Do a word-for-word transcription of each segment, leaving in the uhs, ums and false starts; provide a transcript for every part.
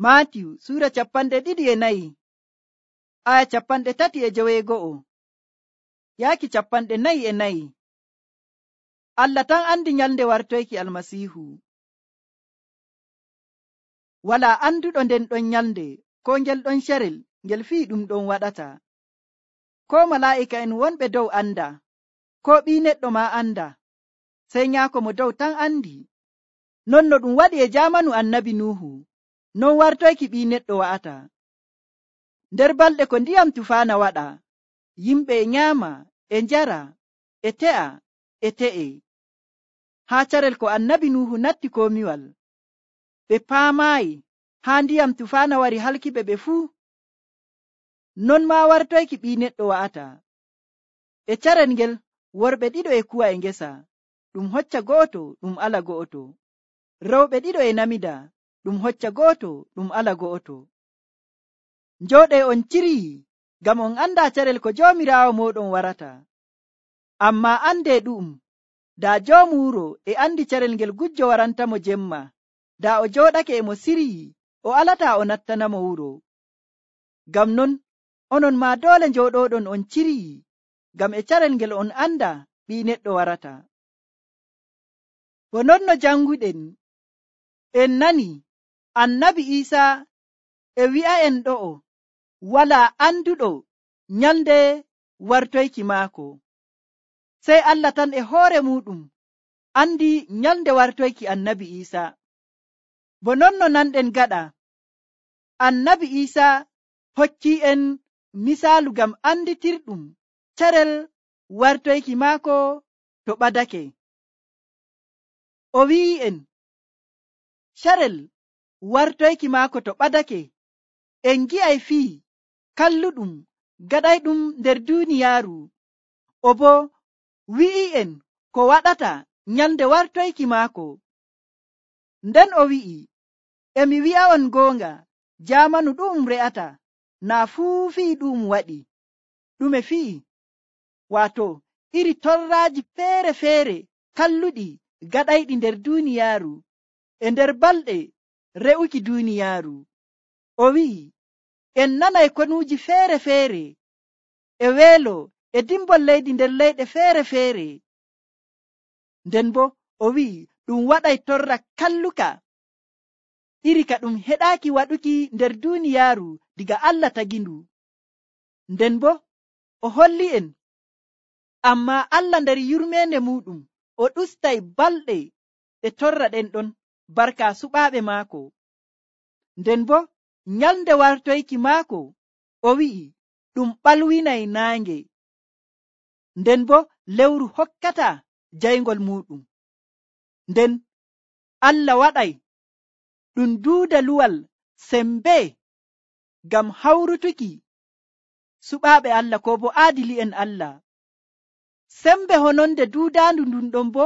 Maatiyu suura capanɗe ɗiɗi e nayi aya capanɗe tati e joweego'o yaaki capanɗe nayi e nayi. Allah tan andi nyalnde wartoyki almasiihu. Wala anduɗo nden ɗon nyalnde ko ngel ɗon carel ngel fii ɗum ɗon waɗata. Ko malaa'ika en wonɓe dow anda, ko ɓii neɗɗo ma anda, sey nyaako mo dow tan andi. Non no ɗum waɗi e jaamanu annabi Nuhu, non wartoyki ɓii neɗɗo wa'ata. Nder balɗe ko ndiyam tufaana waɗa, yimɓe e nyaama, e njara, e te'a, e te'e. Haa carel ko annabi Nuhu natti komiwal, ɓe paamaayi haa ndiyam tufaana wari halkiɓe ɓe fuu. Non maa wartoyki ɓii neɗɗo wa'ata. E carel ngel worɓe ɗiɗo e kuwa e ngesa, ɗum hocca go'oto ɗum ala go'oto. Rewɓe ɗiɗo e namida, ɗum hocca go'oto ɗum ala go'oto. Njooɗee on cirii, ngam on anda carel ko Joomiraawo mooɗon warata. Ammaa andee ɗu'um, daa joomu wuro e andi carel ngel gujjo warantamo jemma, daa o jooɗake e mo sirii, o alataa o nattanamo wuro. Ngam non onon maa doole njooɗoɗon on cirii, ngam e carel ngel on anda ɓii neɗɗo warata. Bo non no janguɗen en nani annabi Iisaa e wi'a'en ɗo'o wala anduɗo nyalnde wartoyki maako, sey Allah tan e hoore muɗum andi nyalnde wartoyki annabi Iisaa. Bo non no nanɗen gaɗa annabi Iisaa hokki en misaalu ngam anditirɗum carel wartoyki maako to ɓadake. O wi'i'en carel wartoyki maako to ɓadake en gi'ay fii kalluɗum gaɗayɗum nder duuniyaaru. O bo wi'i'en ko waɗata nyalnde wartoyki maako. Nden o wi'i, emi wi'a'on goonga, jaamanu ɗu'um re'ata naa fuu fii ɗu'um waɗi. Ɗume fi'i? Waato iri torraaji feere feere kalluɗi gaɗayɗi nder duuniyaaru e nder balɗe re'uki duuniyaaru. O wi'i, en nanay konuuji feere feere e weelo e dimbol leydi nder leyɗe feere feere. Nden bo o wi'i ɗum waɗay torra kalluka iri ka ɗum heɗaaki waɗuki nder duuniyaaru diga Allah tagindu. Nden bo o holli en, ammaa Allah nder yurmeende muɗum o ɗustay balɗe ɗe torra ɗen ɗon barka suɓaaɓe maako. Nden bo nyalnde wartoyki maako o wi'i ɗum ɓalwinay naange. Nden bo lewru hokkata jayngol muɗum. Nden Allah waɗay ɗum duuda luwal sembe ngam hawrutuki suɓaaɓe Allah ko bo aadili'en Allah. Sembe hononde duudaandu ndun ɗon bo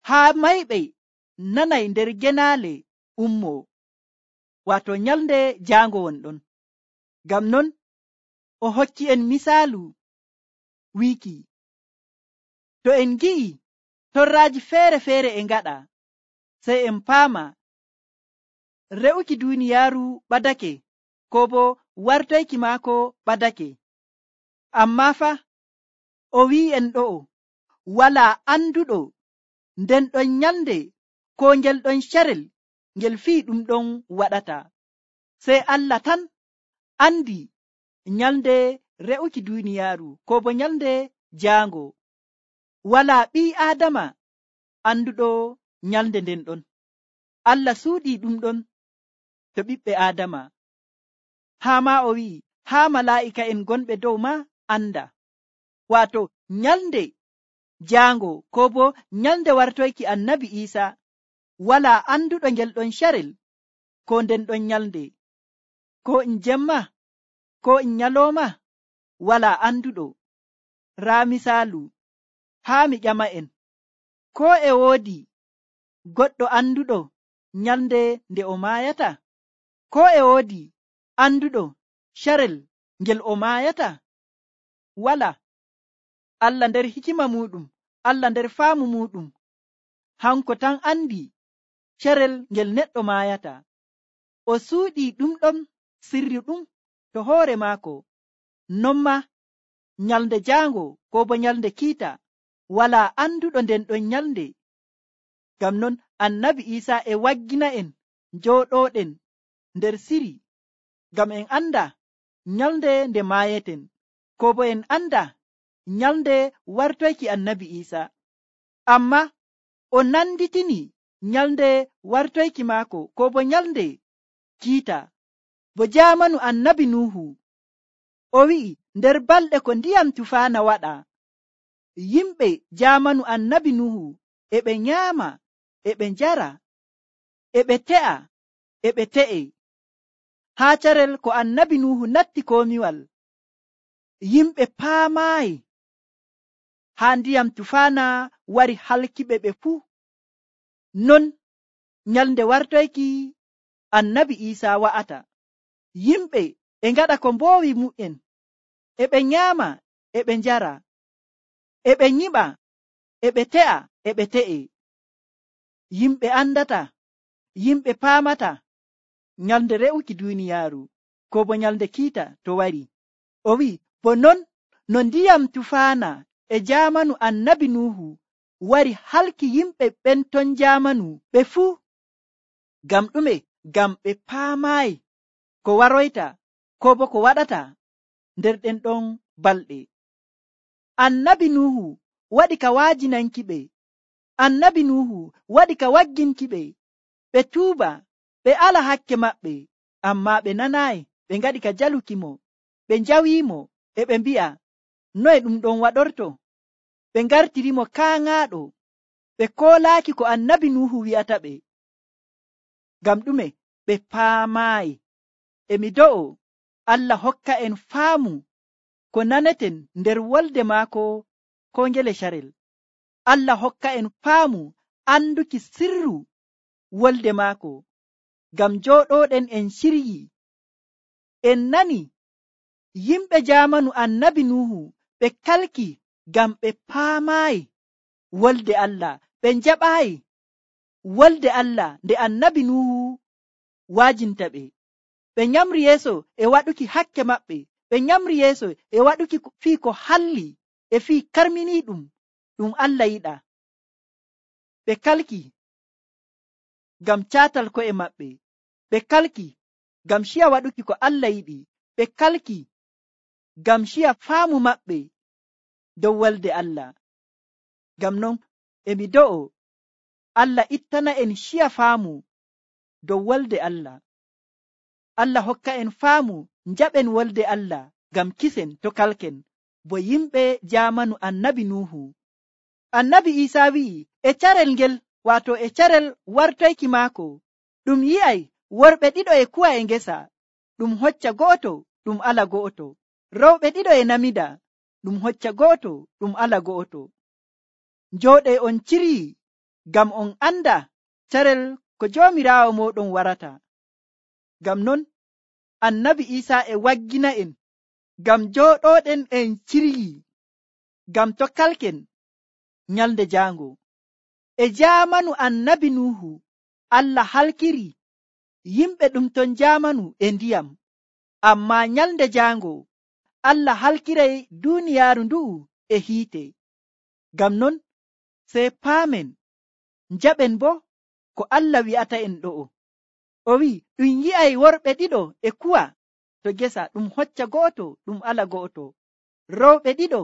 haa mayɓe nanay nder genaale ummoo, waato nyalnde jaango wonɗon. Ngam non o hokki en misaalu wiiki, to en gi'i torraaji feere feere e ngaɗa, sey en paama re'uki duuniyaaru ɓadake, ko bo wartoyki maako ɓadake. Ammaa fa o wi'en ɗo'o walaa anduɗo nden ɗon nyalnde ko ngel ɗon carel ngel fii ɗum ɗon waɗata, sey Allah tan andi nyalnde re'uki duuniyaaru ko bo nyalnde jaango. Walaa ɓii Aadama anduɗo nyalnde nden ɗon. Allah suuɗii ɗum ɗon to ɓiɓɓe Aadama. Haa ma o wi'i haa malaa'ika en gonɓe dow ma anda. Waato nyalnde jaango ko bo nyalnde wartoyki annabi Iisaa walaa anduɗo ngel ɗon carel ko nden ɗon nyalnde, ko in jemma ko in nyalooma, walaa anduɗo. Raa misaalu haa mi ƴama en, ko e woodi goɗɗo anduɗo nyalnde nde o maayata? Ko e woodi anduɗo carel ngel o maayata? Wala. Allah nder hikima muɗum, Allah nder faamu muɗum, hanko tan andi carel ngel neɗɗo maayata. o suuɗii ɗum ɗon sirri ɗum to hoore maako. Non ma nyalnde jaango ko bo nyalnde kiita walaa anduɗo nden ɗon nyalnde. Ngam non annabi Iisa e waggina en njooɗooɗen nder siri, ngam en anda nyalnde nde maayeten, ko bo en anda nyalnde wartoyki annabi Iisa. Amma o nanditini nyalnde wartoyki maako ko bo nyalnde kiita bo jaamanu annabi Nuhu. O wi'i nder balɗe ko ndiyam tufaana waɗa, yimɓe jaamanu annabi Nuhu e ɓe nyaama, e ɓe njara, e ɓe te'a, e ɓe te'e. Haa carel ko annabi Nuhu natti komiwal, yimɓe paamaayi haa ndiyam tufaana wari halkiɓe ɓe fuu. Non nyalnde wartoyki annabi Iisa wa'ata. Yimɓe e ngaɗa ko mboowi mu'en, e ɓe nyaama, e ɓe njara, e ɓe nyiɓa, e ɓe te'a, e ɓe te'e. Yimɓe andata, yimɓe paamata nyalnde re'uki duuniyaaru ko bo nyalnde kiita to wari. O wi'i bo non no ndiyam tufaana e jaamanu annabi Nuhu wari halki yimɓe ɓen ton jaamanu ɓe fuu. Ngam ɗume? Ngam ɓe paamaayi ko waroyta ko bo ko waɗata nder ɗen ɗon balɗe. Annabi Nuhu waɗi ka waajinanki ɓe, annabi Nuhu waɗi ka wagginki ɓe ɓe tuuba, ɓe ala hakke maɓɓe, amma ɓe nanaayi, ɓe ngaɗi ka jaluki mo, ɓe njawiimo, e ɓe mbi'a noye ɗum ɗon waɗorto. Ɓe ngartirimo kaaŋaaɗo, ɓe koolaaki ko annabi Nuhu wi'ata ɓe. Ngam ɗume? Ɓe paamaayi. E mi do'o Allah hokka en faamu ko naneten nder wolde maako ko ngele carel. Allah hokka en faamu anduki sirru wolde maako, ngam jooɗoɗen en ciryi. En nani yimɓe jaamanu annabi Nuhu ɓe kalki ngam ɓe paamaayi wolde Allah, ɓe njaɓaayi wolde Allah nde annabi Nuhu waajinta ɓe. Ɓe nyamri yeeso e waɗuki hakke maɓɓe, ɓe nyamri yeeso e waɗuki fii ko halli e fii karminiiɗum ɗum Allah yiɗa. Ɓe kalki ngam caatal ko'e maɓɓe, ɓe kalki ngam ciya waɗuki ko Allah yiɗi, ɓe kalki ngam ciya faamu maɓɓe dow wolde Allah. Ngam non e mi do'o Allah ittana en ciya faamu dow wolde Allah. Allah hokka en faamu njaɓen wolde Allah ngam kisen to kalken bo yimɓe jaamanu annabi Nuhu. Annabi Iisa wi'i e carel ngel, waato e carel wartoyki maako, ɗum yi'ay worɓe ɗiɗo e kuwa e ngesa, ɗum hocca go'oto, ɗum ala go'oto. Rowɓe ɗiɗo e namida, ɗum hocca go'oto, ɗum ala go'oto. Njooɗe on ciryi, ngam on anda carel ko Joomiraawo mooɗon warata. Ngam non annabi Iisa e waggina en ngam jooɗoɗen en ciryi, ngam to kalken nyalnde jaango. E jaamanu annabi Nuhu Allah halkiri yimɓe ɗum ton jaamanu e ndiyam, amma nyalnde jaango Allah halkiray duuniyaaru ndu'u e hiite. Ngam non sey paamen njaɓen bo ko Allah wi'ata en ɗo'o. O wi'i ɗum yi'ay worɓe ɗiɗo e kuwa to gesa, ɗum hocca go'oto, ɗum ala go'oto. Rowɓe ɗiɗo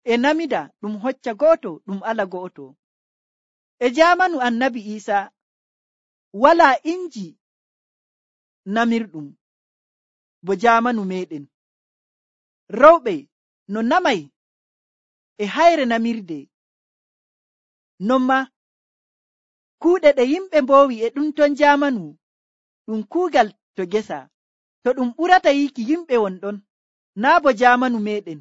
e namida, ɗum hocca go'oto, ɗum ala go'oto. E jaamanu annabi Iisa walaa inji namirɗum bo jaamanu meɗen. Rowɓe no namay e hayre namirde, non ma kuuɗe ɗe yimɓe mboowi e ɗum ton jaamanu ɗum kuugal to gesa, to ɗum ɓurata yiki yimɓe wonɗon, naa bo jaamanu meɗen.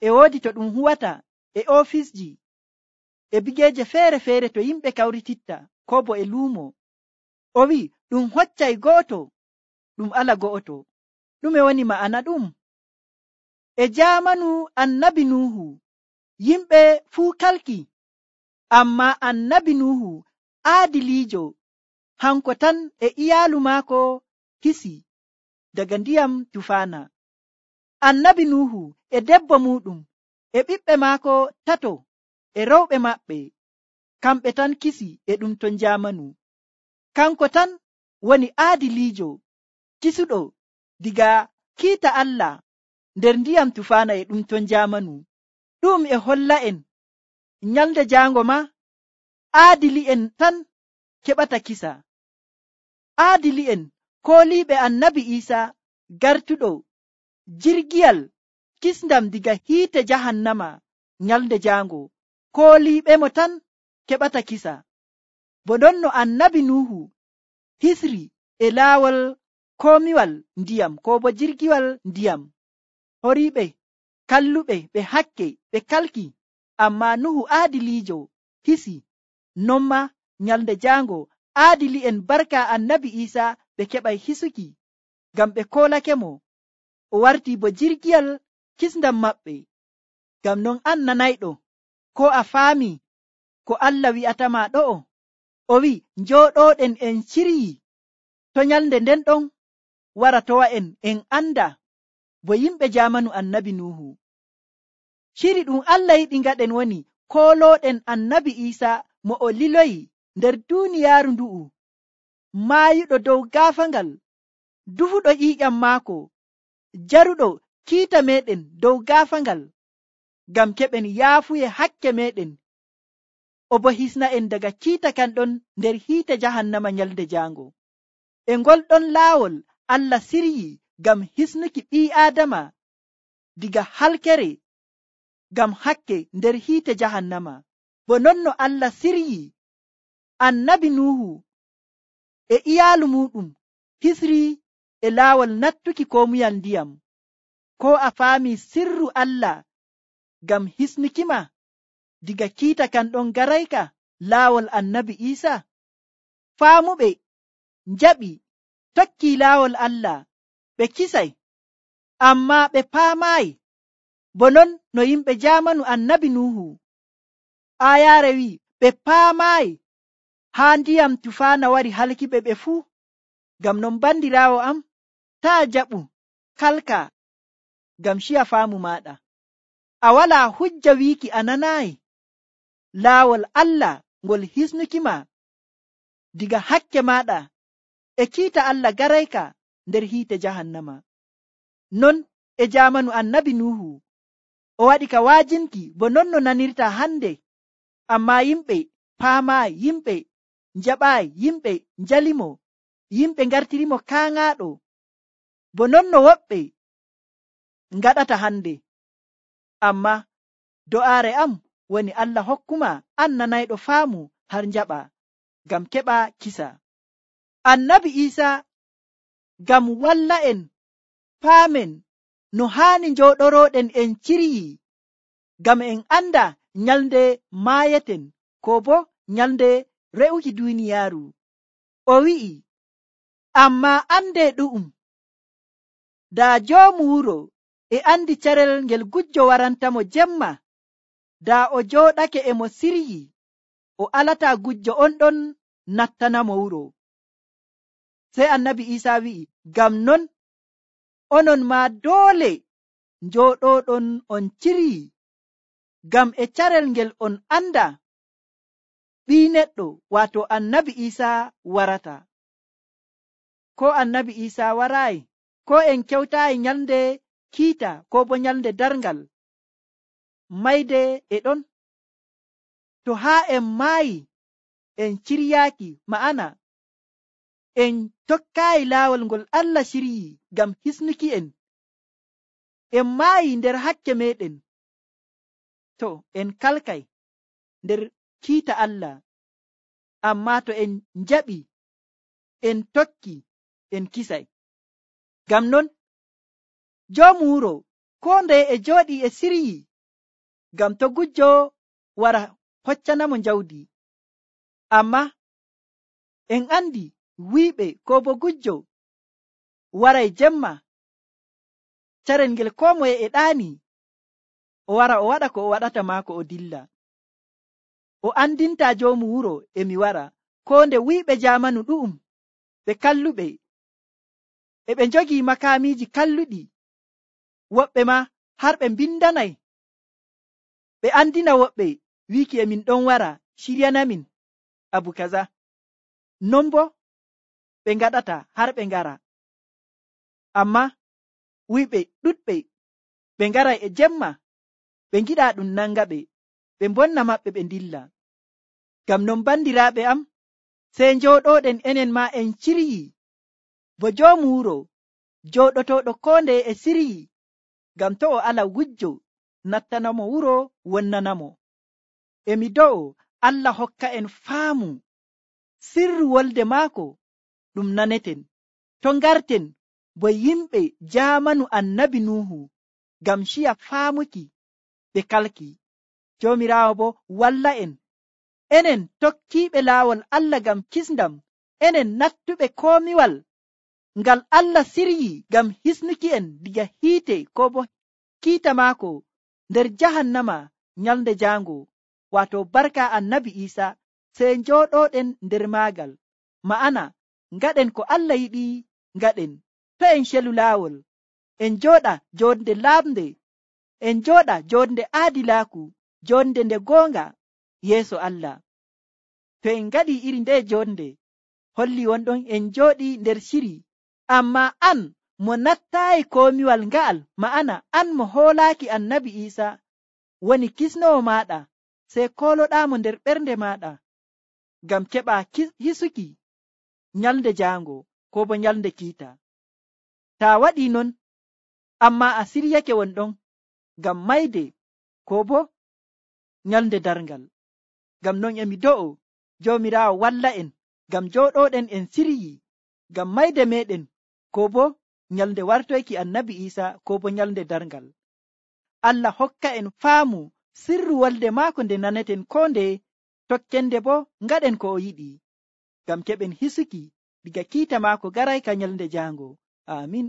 E woodi to ɗum huwata e ofisji e bigeeje feere-feere to yimɓe kawrititta ko bo e luumo. O wi'i ɗum hoccay go'oto, ɗum ala go'oto. Ɗume woni ma'ana ɗum? E jaamanu annabi Nuhu yimɓe fuu kalki, amma annabi Nuhu aadiliijo, hanko tan e iyaalu maako hisi daga ndiyam tufaana. Annabi Nuhu e debbo muɗum e ɓiɓɓe maako tato e rewɓe maɓɓe, kamɓe tan kisi e ɗum ton jamanu. Kanko tan woni aadiliijo kisuɗo diga kiita Allah nder ndiyam tufaana e ɗum ton jamanu. Ɗum e holla en nyalde jaango ma aadili'en tan keɓata kisa. Aadili'en kooliiɓe annabi Iisa gartuɗo jirgiyal kisndam diga hiite jahannama nyalde jaango, kooliiɓe mo tan keɓata kisa. Bo non no annabi Nuhu hisri e laawol koomiwal ndiyam ko bo jirgiwal ndiyam, horiiɓe kalluɓe ɓe hakke ɓe kalki, amma Nuhu aadiliijo hisi. Non ma nyalde jaango aadili'en barka annabi Iisa ɓe keɓay hisuki, ngam ɓe koolake mo o warti bo jirgiyal kisndam maɓɓe. Ngam non an nanayɗo, ko a faami ko Allah wi'atama ɗo'o, o wi njooɗoɗen en ciryi to nyalde nden ɗon wara towa'en en anda bo yimɓe jamanu annabi Nuhu. Ciri ɗum Allah yiɗi ngaɗen woni kooloɗen annabi Iisa mo o liloyi nder duniyaaru ndu'u, maayuɗo dow gaafangal, dufuɗo ƴiiƴam maako, jaruɗo kiita meɗen dow gaafangal, ngam keɓen yaafuye hakke meɗen, o bo hisna en daga kiita kan ɗon nder hiite jahannama nyalde jaango. E ngol ɗon laawol Allah siryi ngam hisnuki ɓii Aadama diga halkere ngam hakke nder hiite jahannama. Bo non no Allah siryi annabi Nuhu e iyaalu muɗum hisri e laawol nattuki koomuyal ndiyam. Ko a faami sirru Allah ngam hisnukima diga kiita kan ɗon garayka laawol annabi Iisa? Faamuɓe njaɓi tokki laawol Allah, ɓe kisay, amma ɓe paamaayi. Bo non no yimɓe jamanu annabi Nuhu, ayaare wi ɓe paamaayi haa ndiyam tufaana wari halkiɓe ɓe fuu. Ngam non bandiraawo am, taa jaɓu kalka ngam ciya faamu maɗa. A walaa hujja wiiki a nanaayi laawol Allah ngol hisnukima diga hakke maɗa e kiita Allah garayka nder hiite jahannama. Non e jamanu annabi Nuhu o waɗi ka waajinki bo non no nanirta hande, amma yimɓe paamaayi, yimɓe njaɓaayi, yimɓe njalimo, yimɓe ngartirimo kaaŋaaɗo, bo non no woɓɓe ngaɗata hande. Amma do'aare am woni Allah hokkuma an nanayɗo faamu har njaɓa ngam keɓa kisa. Annabi Iisa ngam walla en paamen no haani njooɗoroɗen en ciryi, ngam en anda nyalde maayeten ko bo nyalde re'uki duniyaaru. O wi'i, amma ande ɗu'um, daa joomu wuro e andi carel ngel gujjo warantamo jemma, daa o jooɗake e mo siryi, o alata gujjo on ɗon nattanamo wuro. Sey annabi Iisa wi'i, ngam non onon ma doole njooɗoɗon on ciryi, ngam e carel ngel on anda ɓii neɗɗo, waato annabi Iisa warata. Ko annabi Iisa waraayi, ko en kewtaayi nyalde kiita ko bo nyalde darngal, mayde e ɗon. To haa en maayi en ciryaaki, ma'ana en tokkaayi laawol ngol Allah ciryi ngam hisnuki en, en maayi nder hakke meɗen, to en kalkay nder kiita Allah. Amma to en njaɓi en tokki, en kisay. Ngam non joomu wuro ko ndeye e jooɗi e siryi, ngam to gujjo wara hoccanamo njawdi. Amma en andi wiiɓe ko bo gujjo waray jemma, carel ngel ko moye e ɗaani, o wara o waɗa ko o waɗata maako o dilla. O andinta joomu wuro emi wara, ko nde wiiɓe jamanu ɗu'um ɓe kalluɓe e ɓe njogii makaamiiji kalluɗi, woɓɓe ma har ɓe mbindanay ɓe andina woɓɓe wiiki e min ɗon wara shiryanamin abu kaza. Non bo ɓe ngaɗata har ɓe ngara, amma wuyɓe ɗuɗɓe ɓe ngaray e jemma ɓe ngiɗa ɗum nanga ɓe ɓe mbonna maɓɓe ɓe ndilla. Ngam non bandiraaɓe am, sey njooɗoɗen enen ma en ciryi bo joomu wuro jooɗotooɗo koo ndeye e siryi, ngam to o ala wujjo nattanamo wuro wonnanamo. Emi do'o Allah hokka en faamu sirru wolde maako ɗum naneten, to ngarten bo yimɓe jaamanu annabi Nuhu, ngam ciya faamuki ɓe kalki. Joomiraawo bo walla en, enen tokkiiɓe laawol Allah ngam kisndam, enen nattuɓe koomiwal ngal Allah siryi ngam hisnuki en diga hiite ko bo kiita maako nder jahannama nyalnde jaango, waato barka annabi Iisa, sey njooɗoɗen nder maagal. Ma'ana ngaɗen ko Allah yiɗi ngaɗen. To en celu laawol, en jooɗa jonde laamde, en jooɗa jonde aadilaaku, jonde nde goonga yeeso Allah. To en ngaɗi iri nde jonde, holli wonɗon en jooɗi nder shiri. Amma an mo nattaayi koomiwal nga'al, ma'ana an mo hoolaaki annabi Iisa woni kisnowo maaɗa, sey kooloɗaamo nder ɓernde maaɗa ngam keɓa hisuki nyalnde jaango ko bo nyalnde kiita. Ta waɗi non, amma a siryake wonɗon ngam mayde ko bo nyalnde darngal. Ngam non emi do'o Joomiraawo walla en ngam jooɗoɗen en siryi ngam mayde meɗen ko bo nyalnde wartoyki annabi Iisa ko bo nyalnde darngal. Allah hokka en faamu sirru wolde maako nde naneten ko ndeye, tokkende bo ngaɗen ko o yiɗi ngam keɓen hisuki diga kiita maako garay ka nyalnde jaango. Amin.